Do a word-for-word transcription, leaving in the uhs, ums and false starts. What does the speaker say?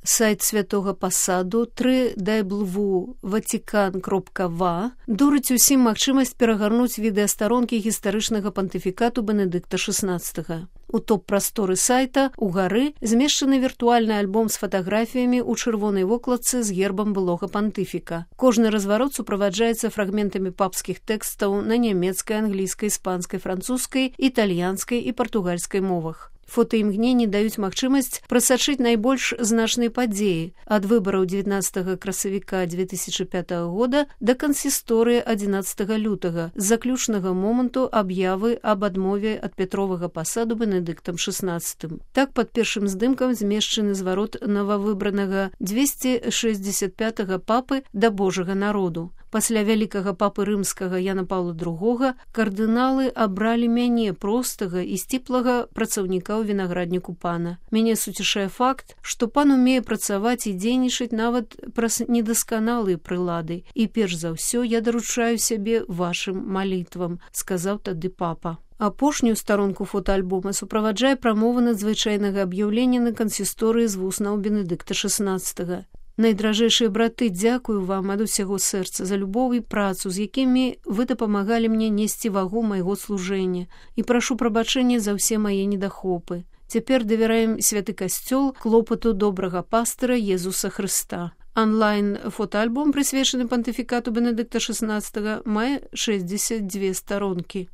Сайт святога пасаду тры дабл-ю ватикан кропка ва дурыць усім магчымасць перагарнуць відэастаронкі гістарычнага пантыфікату Бенедыкта шаснаццатага. У топ-прасторы сайта угары змешчаны віртуальны альбом з фатаграфіямі ў чырвонай вокладцы з гербам былога пантыфіка. Кожны разварот суправаджаецца фрагментамі папскіх тэкстаў на нямецкай, англійскай, іспанскай, французскай, італьянскай і партугальскай мовах. Фотаімгненні даюць магчымасць прасачыць найбольш значныя падзеі ад выбараў дзевятнаццатага красавіка дзве тысячы пятага года да кансісторыі адзінаццатага лютага з заключнага моманту аб'явы аб адмове ад пятровага пасаду Бенедыктам шаснаццатым. Так, пад першым здымкам змешчаны зварот новавыбранага дзвесце шэсцьдзесят пятага папы да Божага народу. Пасля вялікага папы рымскага Яна Паўла другога кардыналы абралі мяне, простага і сціплага працаўніка ў вінаградніку пана. Мяне суцішае факт, што пан умее працаваць і дзейнічаць нават праз недасканалыя прылады. І перш за ўсё я даручаю сябе вашым малітвам, сказаў тады папа. Апошнюю старонку фотаальбома суправаджае прамова надзвычайнага аб'яўлення на кансісторыі з вуснаў Бенедыкта шаснаццатага. Найдражэйшыя браты, дзякую вам ад усяго сэрца за любоў і працу, з якімі вы дапамагалі мне несці вагу майго служэння, і прашу прабачэння за ўсе мае недахопы. Цяпер давяраем святы касцёл клопату добрага пастыра Езуса Хрыста. Онлайн-фотаальбом, прысвечаны пантыфікату Бенедыкта шаснаццатага, мае шэсцьдзесят дзве старонкі.